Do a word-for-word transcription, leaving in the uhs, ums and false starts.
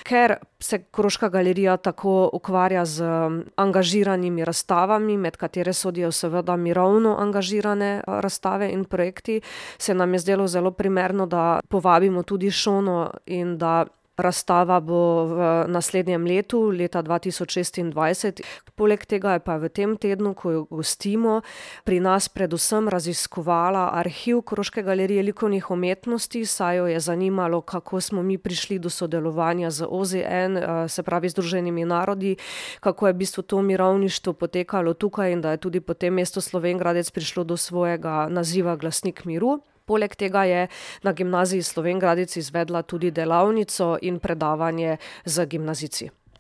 ker se Koroška galerija tako ukvarja z angažiranimi razstavami, med katere sodijo seveda mirovno angažirane razstave in projekti, se nam je zdelo zelo primerno, da povabimo tudi Šono in da razstava bo v naslednjem letu, leta dva tisoč šestindvajset. Poleg tega je pa v tem tednu, ko jo gostimo, pri nas predvsem raziskovala arhiv Koroške galerije likovnih umetnosti, saj jo je zanimalo, kako smo mi prišli do sodelovanja z O Z N, se pravi Združenimi narodi, kako je v bistvu to mirovništvo potekalo tukaj in da je tudi potem mesto Slovenj Gradec prišlo do svojega naziva Glasnik miru. Poleg tega je na Gimnaziji Slovenj Gradec izvedla tudi delavnico in predavanje z gimnazijci.